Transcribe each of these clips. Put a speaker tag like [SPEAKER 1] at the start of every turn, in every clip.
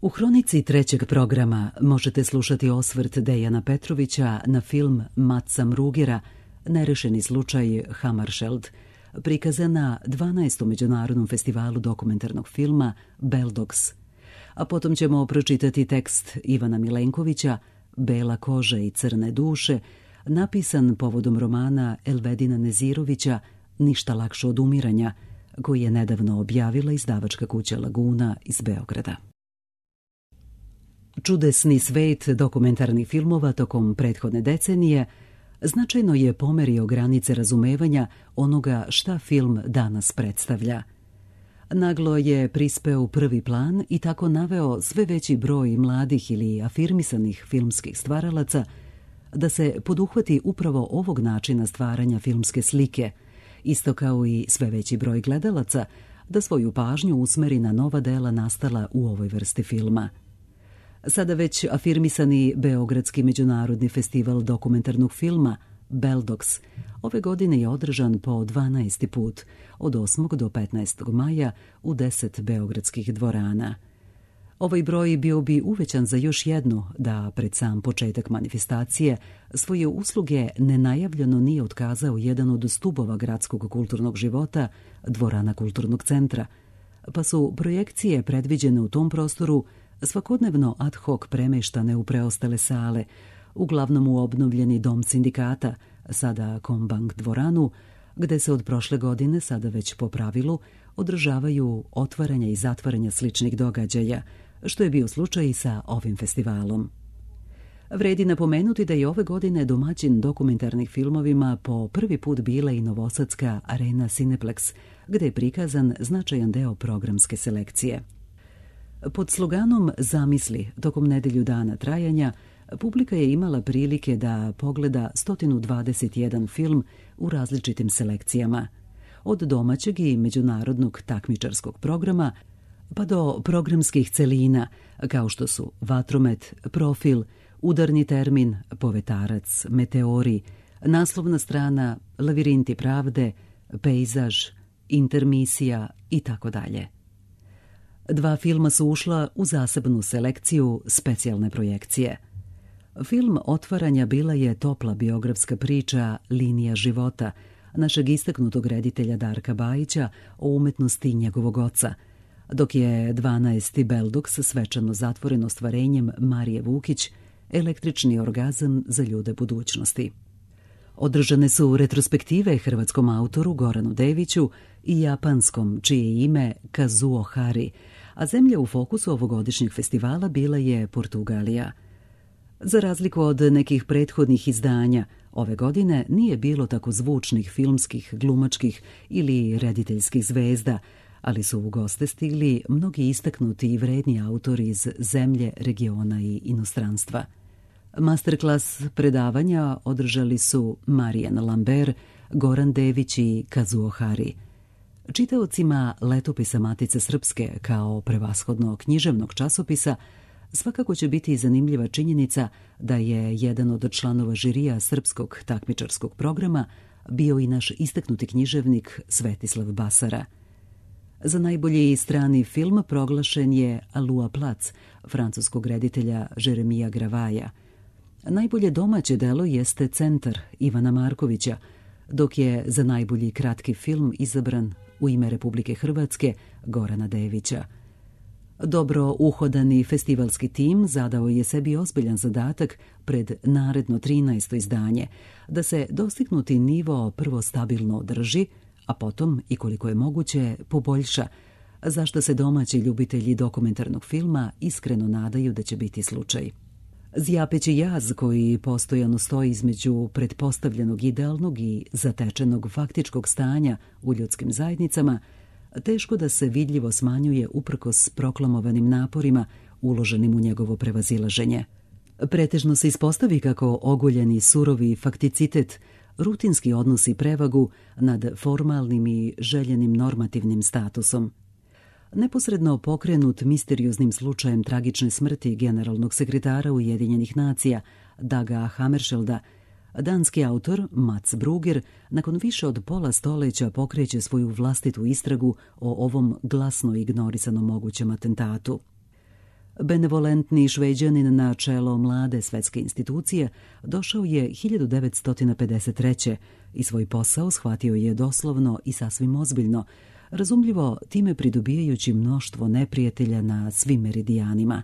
[SPEAKER 1] U hronici trećeg programa možete slušati osvrt Dejana Petrovića na film Matsa Mrugera Nerešeni slučaj Hammarskjöld, prikazan na 12. Međunarodnom festivalu dokumentarnog filma Beldogs. A potom ćemo pročitati tekst Ivana Milenkovića Bela koža i crne duše, napisan povodom romana Elvedina Nezirovića Ništa lakše od umiranja, koji je nedavno objavila izdavačka kuća Laguna iz Beograda. Čudesni svet dokumentarnih filmova tokom prethodne decenije značajno je pomerio granice razumevanja onoga šta film danas predstavlja. Naglo je prispeo u prvi plan i tako naveo sve veći broj mladih ili afirmisanih filmskih stvaralaca da se poduhvati upravo ovog načina stvaranja filmske slike, isto kao i sve veći broj gledalaca da svoju pažnju usmeri na nova dela nastala u ovoj vrsti filma. Sada već afirmisani Beogradski međunarodni festival dokumentarnog filma Beldogs ove godine je održan po 12. put od 8. do 15. maja u 10 beogradskih dvorana. Ovaj broj bio bi uvećan za još jednu da pred sam početak manifestacije svoje usluge nenajavljeno nije otkazao jedan od stubova gradskog kulturnog života, dvorana kulturnog centra, pa su projekcije predviđene u tom prostoru svakodnevno ad hoc premeštane u preostale sale, uglavnom u obnovljeni dom sindikata, sada Kombank dvoranu, gde se od prošle godine, sada već po pravilu, održavaju otvaranja i zatvaranja sličnih događaja, što je bio slučaj i sa ovim festivalom. Vredi napomenuti da je ove godine domaćin dokumentarnih filmovima po prvi put bila i novosadska arena Cineplex, gde je prikazan značajan deo programske selekcije. Pod sloganom Zamisli, tokom nedelju dana trajanja, publika je imala prilike da pogleda 121 film u različitim selekcijama, od domaćeg i međunarodnog takmičarskog programa pa do programskih celina, kao što su Vatromet, Profil, Udarni termin, Povetarac, Meteori, Naslovna strana, Lavirinti pravde, Pejzaž, Intermisija itd. 2 filma su ušla u zasebnu selekciju specijalne projekcije. Film otvaranja bila je topla biografska priča Linija života našeg istaknutog reditelja Darka Bajića o umetnosti njegovog oca, dok je 12. Beldogs svečano zatvoren ostvarenjem Marije Vukić Električni orgazam za ljude budućnosti. Održane su retrospektive hrvatskom autoru Goranu Deviću i japanskom, čije je ime Kazuo Hari, a zemlja u fokusu ovogodišnjeg festivala bila je Portugalija. Za razliku od nekih prethodnih izdanja, ove godine nije bilo tako zvučnih filmskih, glumačkih ili rediteljskih zvezda, ali su u goste stigli mnogi istaknuti i vredni autori iz zemlje, regiona i inostranstva. Masterclass predavanja održali su Marijan Lambert, Goran Dević i Kazuo Hari. Čitaocima Letopisa Matice Srpske kao prevashodno književnog časopisa svakako će biti zanimljiva činjenica da je jedan od članova žirija srpskog takmičarskog programa bio i naš istaknuti književnik Svetislav Basara. Za najbolji strani film proglašen je Alua Plac, francuskog reditelja Jeremija Gravaja. Najbolje domaće delo jeste Centar Ivana Markovića, dok je za najbolji kratki film izabran U ime Republike Hrvatske Gorana Devića. Dobro uhodani festivalski tim zadao je sebi ozbiljan zadatak pred naredno 13. izdanje, da se dostignuti nivo prvo stabilno održi, a potom i koliko je moguće poboljša, zašto se domaći ljubitelji dokumentarnog filma iskreno nadaju da će biti slučaj. Zjapeći jaz koji postojano stoji između pretpostavljenog idealnog i zatečenog faktičkog stanja u ljudskim zajednicama, teško da se vidljivo smanjuje uprkos proklamovanim naporima uloženim u njegovo prevazilaženje. Pretežno se ispostavi kako ogoljeni surovi fakticitet rutinski odnosi prevagu nad formalnim i željenim normativnim statusom. Neposredno pokrenut misterioznim slučajem tragične smrti generalnog sekretara Ujedinjenih nacija Daga Hammarskjölda, danski autor Mats Bruger nakon više od pola stoleća pokreće svoju vlastitu istragu o ovom glasno ignorisanom mogućem atentatu. Benevolentni Šveđanin na čelo mlade svetske institucije došao je 1953. i svoj posao shvatio je doslovno i sasvim ozbiljno, razumljivo time pridobijajući mnoštvo neprijatelja na svim meridijanima.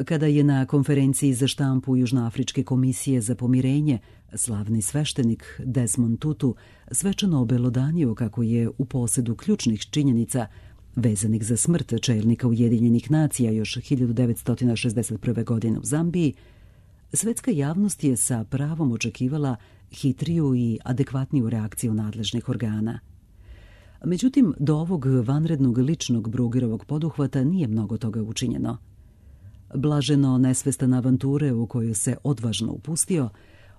[SPEAKER 1] Kada je na konferenciji za štampu Južnoafričke komisije za pomirenje slavni sveštenik Desmond Tutu svečano obelodanio kako je u posedu ključnih činjenica vezanih za smrt čelnika Ujedinjenih nacija još 1961. godine u Zambiji, svetska javnost je sa pravom očekivala hitriju i adekvatniju reakciju nadležnih organa. Međutim, do ovog vanrednog ličnog Brugerovog poduhvata nije mnogo toga učinjeno. Blaženo nesvestan avanture u koju se odvažno upustio,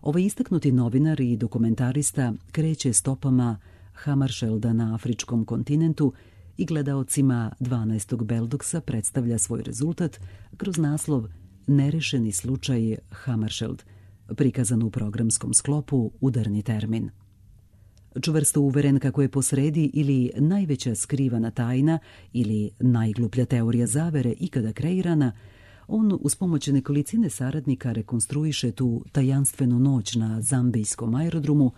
[SPEAKER 1] ovaj istaknuti novinar i dokumentarista kreće stopama Hammarskjölda na afričkom kontinentu i gledaocima 12. Beldoksa predstavlja svoj rezultat kroz naslov Nerešeni slučaj Hammarskjöld, prikazan u programskom sklopu Udarni termin. Čvrsto uveren kako je posredi ili najveća skrivana tajna ili najgluplja teorija zavere ikada kreirana, on uz pomoć nekolicine saradnika rekonstruiše tu tajanstvenu noć na zambijskom aerodromu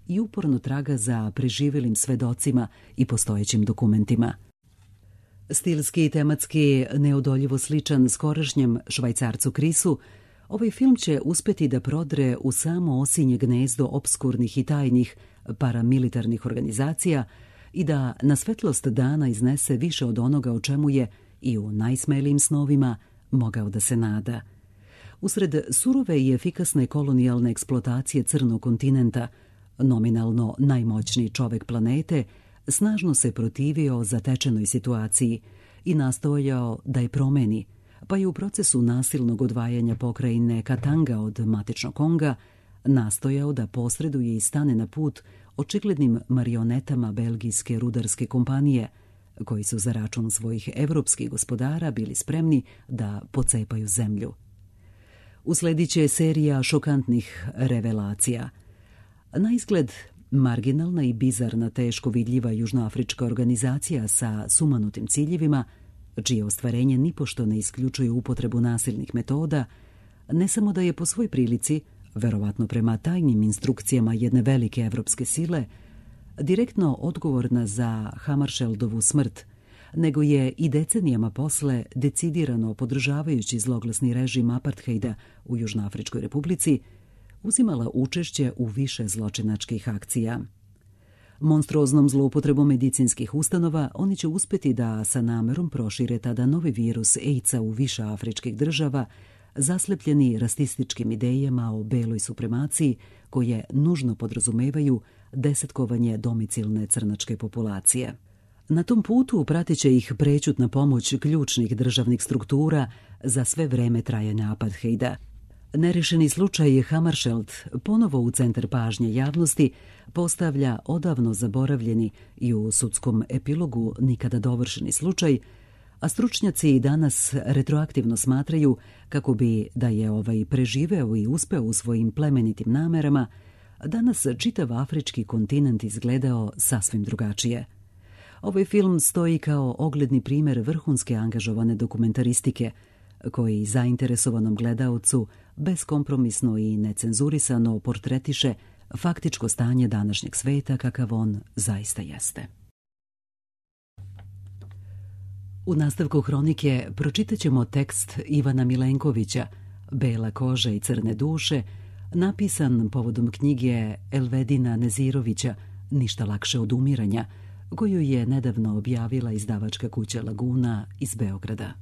[SPEAKER 1] i uporno traga za preživelim svedocima i postojećim dokumentima. Stilski i tematski neodoljivo sličan skorašnjem Švajcarcu Krisu, ovaj film će uspeti da prodre u samo osinje gnezdo opskurnih i tajnih paramilitarnih organizacija i da na svetlost dana iznese više od onoga o čemu je i u najsmelijim snovima mogao da se nada. Usred surove i efikasne kolonijalne eksploatacije crnog kontinenta, nominalno najmoćniji čovek planete, snažno se protivio zatečenoj situaciji i nastojao da je promeni, pa je u procesu nasilnog odvajanja pokrajine Katanga od matičnog Konga nastojao da posreduje i stane na put očiglednim marionetama belgijske rudarske kompanije, koji su za račun svojih evropskih gospodara bili spremni da pocepaju zemlju. Usledit će serija šokantnih revelacija. Na izgled marginalna i bizarna teško vidljiva južnoafrička organizacija sa sumanutim ciljevima, čije ostvarenje nipošto ne isključuje upotrebu nasilnih metoda, ne samo da je po svoj prilici, verovatno prema tajnim instrukcijama jedne velike evropske sile, direktno odgovorna za Hammarskjöldovu smrt, nego je i decenijama posle decidirano podržavajući zloglasni režim apartheida u Južnoafričkoj republici, uzimala učešće u više zločinačkih akcija. Monstruoznom zloupotrebom medicinskih ustanova oni će uspeti da sa namerom prošire tada novi virus AIDS-a u više afričkih država, zaslepljeni rasističkim idejama o beloj supremaciji koje nužno podrazumevaju desetkovanje domicilne crnačke populacije. Na tom putu pratit će ih prećutna pomoć ključnih državnih struktura za sve vreme trajanja apartheida. Nerešeni slučaj Hammarskjöld ponovo u centar pažnje javnosti postavlja odavno zaboravljeni i u sudskom epilogu nikada dovršeni slučaj, a stručnjaci i danas retroaktivno smatraju kako bi, da je ovaj preživeo i uspeo u svojim plemenitim namerama, danas čitav afrički kontinent izgledao sasvim drugačije. Ovaj film stoji kao ogledni primjer vrhunske angažovane dokumentaristike, koji zainteresovanom gledaocu beskompromisno i necenzurisano portretiše faktičko stanje današnjeg sveta kakav on zaista jeste. U nastavku hronike pročitat ćemo tekst Ivana Milenkovića, Bela koža i crne duše, napisan povodom knjige Elvedina Nezirovića Ništa lakše od umiranja, koju je nedavno objavila izdavačka kuća Laguna iz Beograda.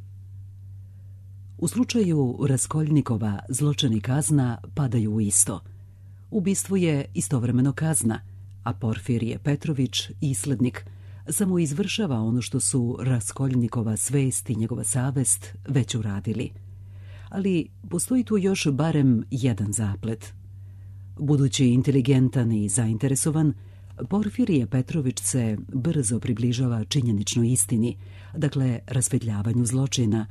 [SPEAKER 1] U slučaju Raskoljnikova zločin i kazna padaju u isto. Ubistvo je istovremeno kazna, a Porfirije Petrović, islednik, samo izvršava ono što su Raskoljnikova svest i njegova savest već uradili. Ali postoji tu još barem jedan zaplet. Budući inteligentan i zainteresovan, Porfirije Petrović se brzo približava činjeničnoj istini, dakle rasvetljavanju zločina,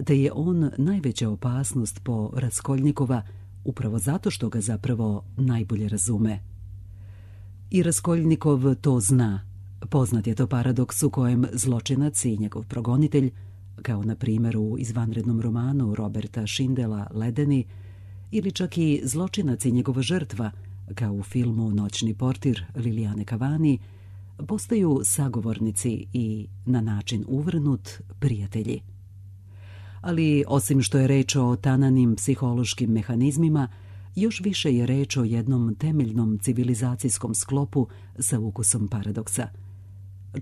[SPEAKER 1] te je on najveća opasnost po Raskoljnikova upravo zato što ga zapravo najbolje razume. I Raskoljnikov to zna. Poznat je to paradoks u kojem zločinac i njegov progonitelj kao na primjer u izvanrednom romanu Roberta Schindela Ledeni, ili čak i zločinac i njegova žrtva, kao u filmu Noćni portir Lilijane Cavani, postaju sagovornici i, na način uvrnut, prijatelji. Ali, osim što je reč o tananim psihološkim mehanizmima, još više je reč o jednom temeljnom civilizacijskom sklopu sa ukusom paradoksa.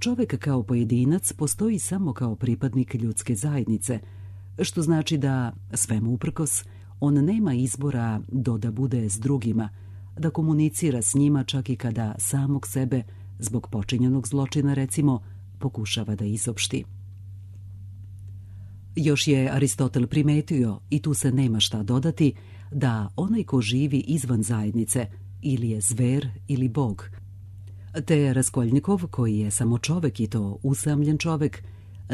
[SPEAKER 1] Čovek kao pojedinac postoji samo kao pripadnik ljudske zajednice, što znači da, svemu uprkos, on nema izbora da bude s drugima, da komunicira s njima čak i kada samog sebe, zbog počinjenog zločina recimo, pokušava da izopšti. Još je Aristotel primetio, i tu se nema šta dodati, da onaj ko živi izvan zajednice ili je zver ili bog. Te Raskolnikov, koji je samo čovek i to usamljen čovek,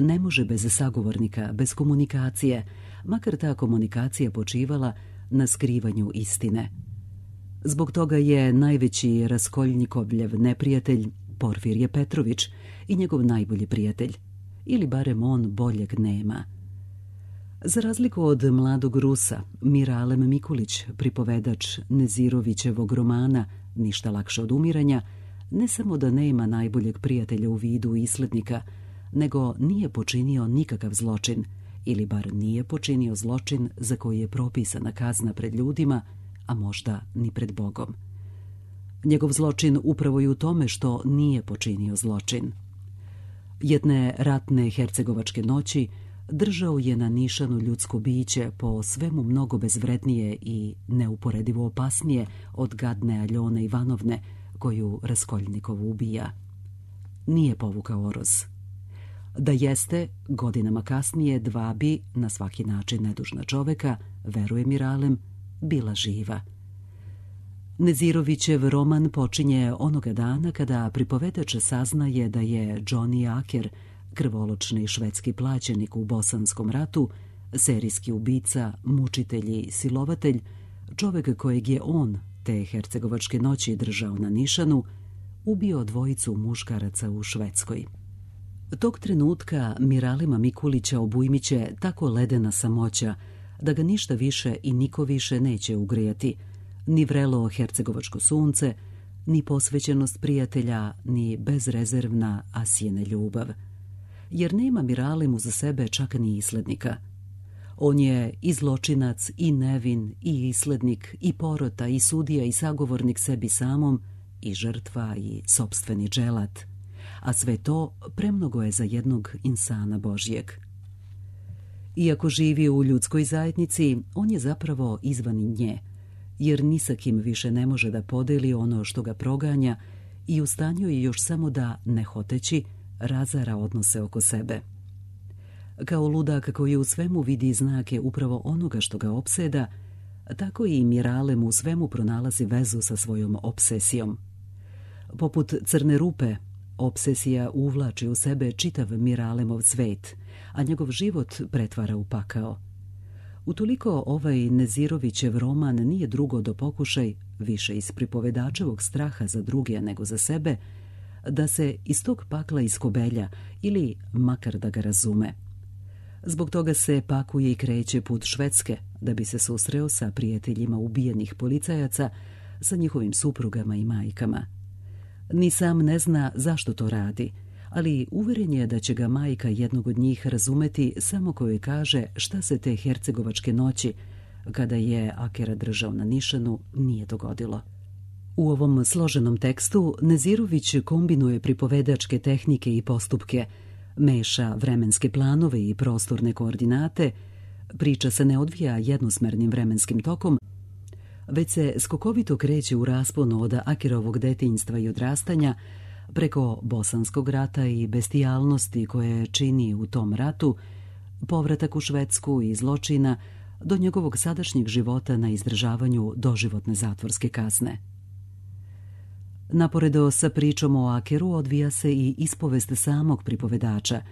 [SPEAKER 1] ne može bez sagovornika, bez komunikacije, makar ta komunikacija počivala na skrivanju istine. Zbog toga je najveći Raskolnikovljev neprijatelj Porfirije Petrović i njegov najbolji prijatelj, ili barem on boljeg nema. Za razliku od mladog Rusa, Miralem Mikulić, pripovedač Nezirovićevog romana Ništa lakše od umiranja, ne samo da nema najboljeg prijatelja u vidu islednika, nego nije počinio nikakav zločin, ili bar nije počinio zločin za koji je propisana kazna pred ljudima, a možda ni pred Bogom. Njegov zločin upravo je u tome što nije počinio zločin. Jedne ratne hercegovačke noći držao je na nišanu ljudsko biće, po svemu mnogo bezvrednije i neuporedivo opasnije od gadne Aljone Ivanovne, koju Raskolnikov ubija. Nije povukao oroz. Da jeste, godinama kasnije dva bi, na svaki način nedužna čoveka, veruje Miralem, bila živa. Nezirovićev roman počinje onoga dana kada pripovedač saznaje da je Johnny Aker, krvoločni švedski plaćenik u Bosanskom ratu, serijski ubica, mučitelj i silovatelj, čovek kojeg je on te hercegovačke noći držao na nišanu, ubio dvojicu muškaraca u Švedskoj. Tog trenutka Miralema Mikulića obujmiće tako ledena samoća da ga ništa više i niko više neće ugrijati, ni vrelo hercegovačko sunce, ni posvećenost prijatelja, ni bezrezervna Asijina ljubav. Jer nema Miralemu za sebe čak ni islednika. On je i zločinac, i nevin, i islednik, i porota, i sudija, i sagovornik sebi samom, i žrtva, i sopstveni dželat. A sve to premnogo je za jednog insana Božjeg. Iako živi u ljudskoj zajednici, on je zapravo izvan nje, jer ni sa kim više ne može da podeli ono što ga proganja i u stanju je još samo da, ne hoteći, razara odnose oko sebe. Kao ludak koji u svemu vidi znake upravo onoga što ga opseda, tako i Miralem u svemu pronalazi vezu sa svojom obsesijom. Poput crne rupe, obsesija uvlači u sebe čitav Miralemov svet, a njegov život pretvara u pakao. Utoliko ovaj Nezirovićev roman nije drugo do pokušaj, više iz pripovedačevog straha za druge nego za sebe, da se iz tog pakla iskobelja ili makar da ga razume. Zbog toga se pakuje i kreće put Švedske, da bi se susreo sa prijateljima ubijenih policajaca, sa njihovim suprugama i majkama. Ni sam ne zna zašto to radi, ali uveren je da će ga majka jednog od njih razumeti samo kojoj kaže šta se te hercegovačke noći, kada je Akera držao na nišanu, nije dogodilo. U ovom složenom tekstu Nezirović kombinuje pripovedačke tehnike i postupke, meša vremenske planove i prostorne koordinate, priča se ne odvija jednosmernim vremenskim tokom, već se skokovito kreće u rasponu od Akerovog detinjstva i odrastanja preko Bosanskog rata i bestijalnosti koje čini u tom ratu, povratak u Švedsku i zločina, do njegovog sadašnjeg života na izdržavanju doživotne zatvorske kazne. Naporedo sa pričom o Akeru odvija se i ispovest samog pripovedača,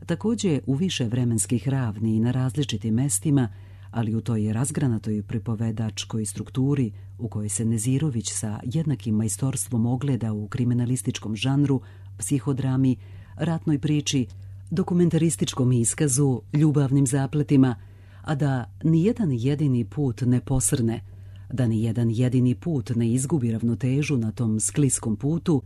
[SPEAKER 1] također u više vremenskih ravni i na različitim mestima, ali u toj razgranatoj pripovedačkoj strukturi u kojoj se Nezirović sa jednakim majstorstvom ogleda u kriminalističkom žanru, psihodrami, ratnoj priči, dokumentarističkom iskazu, ljubavnim zapletima, a da nijedan jedini put ne posrne, da nijedan jedini put ne izgubi ravnotežu na tom skliskom putu,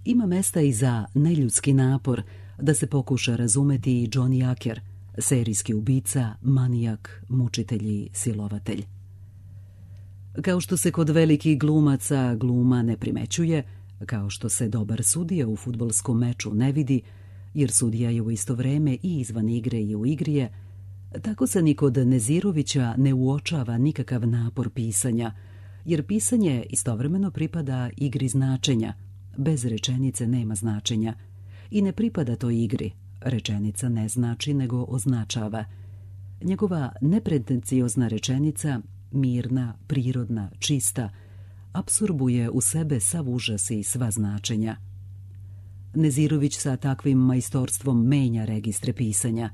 [SPEAKER 1] ima mesta i za neljudski napor da se pokuša razumeti i Johnny Acker, serijski ubica, manijak, mučitelj i silovatelj. Kao što se kod velikih glumaca gluma ne primećuje, kao što se dobar sudija u fudbalskom meču ne vidi, jer sudija je u isto vreme i izvan igre i u igri je, tako se ni kod Nezirovića ne uočava nikakav napor pisanja, jer pisanje istovremeno pripada igri značenja, bez rečenice nema značenja, i ne pripada toj igri, rečenica ne znači nego označava. Njegova nepretenciozna rečenica, mirna, prirodna, čista, apsorbuje u sebe sav užas i sva značenja. Nezirović sa takvim majstorstvom menja registre pisanja.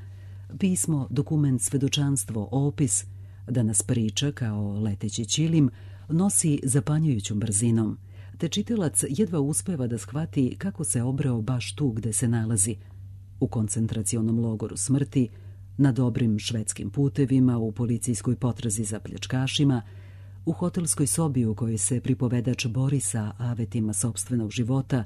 [SPEAKER 1] Pismo, dokument, svedočanstvo, opis, da nas priča kao leteći ćilim, nosi zapanjujućom brzinom, te čitalac jedva uspeva da shvati kako se obreo baš tu gde se nalazi, u koncentracionom logoru smrti, na dobrim švedskim putevima, u policijskoj potrazi za pljačkašima, u hotelskoj sobi u kojoj se pripovedač bori sa avetima sopstvenog života,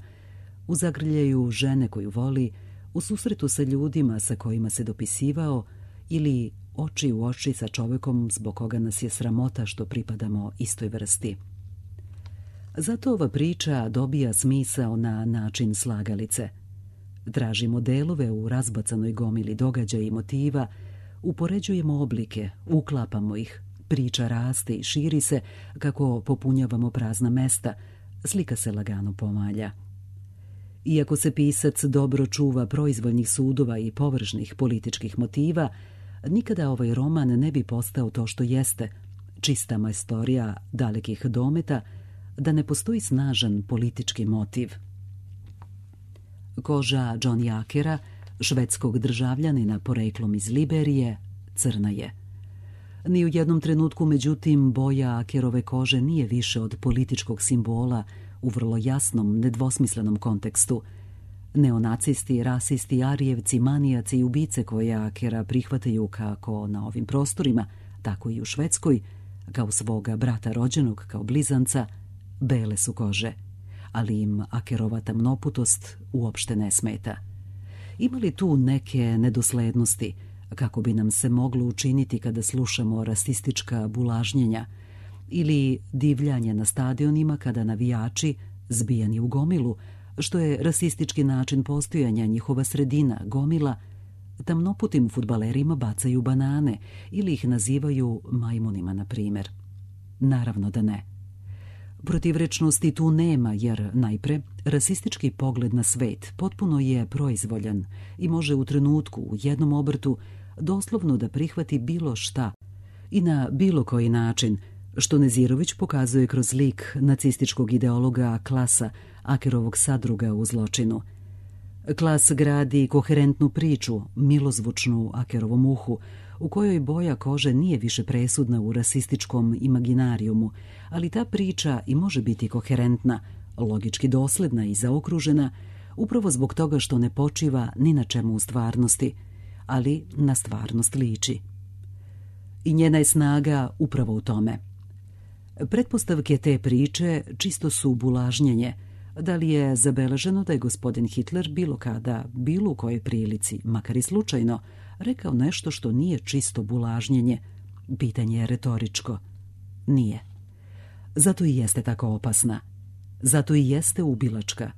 [SPEAKER 1] u zagrljaju žene koju voli, u susretu sa ljudima sa kojima se dopisivao ili oči u oči sa čovekom zbog koga nas je sramota što pripadamo istoj vrsti. Zato ova priča dobija smisao na način slagalice. Tražimo delove u razbacanoj gomili događaja i motiva, upoređujemo oblike, uklapamo ih, priča raste i širi se kako popunjavamo prazna mesta, slika se lagano pomalja. Iako se pisac dobro čuva proizvoljnih sudova i površnih političkih motiva, nikada ovaj roman ne bi postao to što jeste, čista majstorija dalekih dometa, da ne postoji snažan politički motiv. Koža Johnny Ackera, švedskog državljanina poreklom iz Liberije, crna je. Ni u jednom trenutku, međutim, boja Ackerove kože nije više od političkog simbola u vrlo jasnom, nedvosmislenom kontekstu. Neonacisti, rasisti, arijevci, manijaci i ubice koje Ackera prihvataju kako na ovim prostorima, tako i u Švedskoj, kao svoga brata rođenog, kao blizanca, bele su kože, ali im Ackerova tamnoputost uopšte ne smeta. Ima li tu neke nedoslednosti, kako bi nam se moglo učiniti kada slušamo rasistička bulažnjenja, ili divljanje na stadionima kada navijači, zbijani u gomilu, što je rasistički način postojanja njihova sredina, gomila, tamnoputim fudbalerima bacaju banane ili ih nazivaju majmunima, na primjer? Naravno da ne. Protivrečnosti tu nema, jer najpre rasistički pogled na svet potpuno je proizvoljan i može u trenutku, u jednom obrtu, doslovno da prihvati bilo šta i na bilo koji način, što Nezirović pokazuje kroz lik nacističkog ideologa Klasa, Ackerovog sadruga u zločinu. Klas gradi koherentnu priču, milozvučnu Ackerovom uhu, u kojoj boja kože nije više presudna u rasističkom imaginarijumu, ali ta priča i može biti koherentna, logički dosledna i zaokružena, upravo zbog toga što ne počiva ni na čemu u stvarnosti, ali na stvarnost liči. I njena je snaga upravo u tome. Pretpostavke te priče čisto su bulažnjenje. Da li je zabeleženo da je gospodin Hitler bilo kada, bilo u kojoj prilici, makar i slučajno, rekao nešto što nije čisto bulažnjenje? Pitanje je retoričko. Nije. Zato i jeste tako opasna. Zato i jeste ubilačka.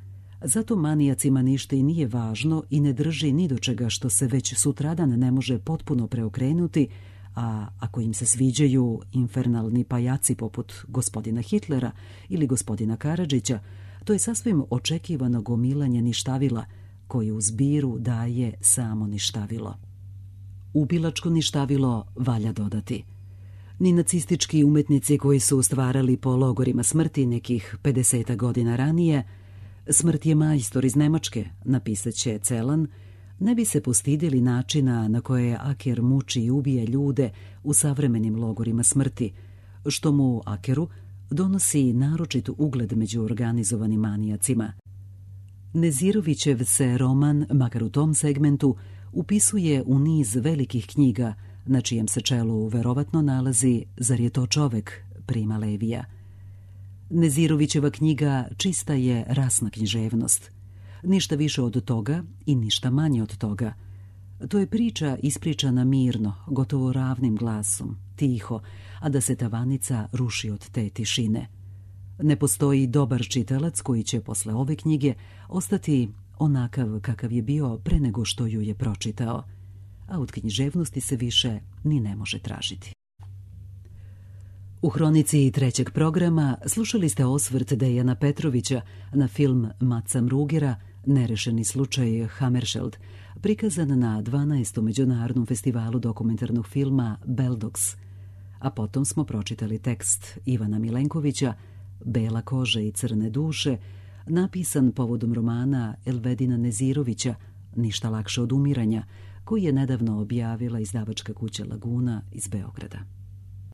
[SPEAKER 1] Zato manijacima ništa i nije važno i ne drži ni do čega što se već sutradan ne može potpuno preokrenuti, a ako im se sviđaju infernalni pajaci poput gospodina Hitlera ili gospodina Karadžića, to je sasvim očekivano gomilanje ništavila koji u zbiru daje samo ništavilo. Ubilačko ništavilo valja dodati. Ni nacistički umetnici koji su stvarali po logorima smrti nekih 50 godina ranije, Smrt je majstor iz Nemačke, napisat će Celan, ne bi se postidili načina na koje Acker muči i ubije ljude u savremenim logorima smrti, što mu, Ackeru, donosi naročit ugled među organizovanim manijacima. Nezirovićev se roman, makar u tom segmentu, upisuje u niz velikih knjiga, na čijem se čelu verovatno nalazi Zar je to čovek Prima Levija. Nezirovićeva knjiga čista je rasna književnost. Ništa više od toga i ništa manje od toga. To je priča ispričana mirno, gotovo ravnim glasom, tiho, a da se tavanica ruši od te tišine. Ne postoji dobar čitalac koji će posle ove knjige ostati onakav kakav je bio pre nego što ju je pročitao, a od književnosti se više ni ne može tražiti. U hronici trećeg programa slušali ste osvrt Dejana Petrovića na film Maca Mrugera Nerešeni slučaj Hammarskjöld, prikazan na 12. Međunarodnom festivalu dokumentarnog filma Beldox, a potom smo pročitali tekst Ivana Milenkovića Bela koža i crne duše, napisan povodom romana Elvedina Nezirovića Ništa lakše od umiranja, koji je nedavno objavila izdavačka kuća Laguna iz Beograda.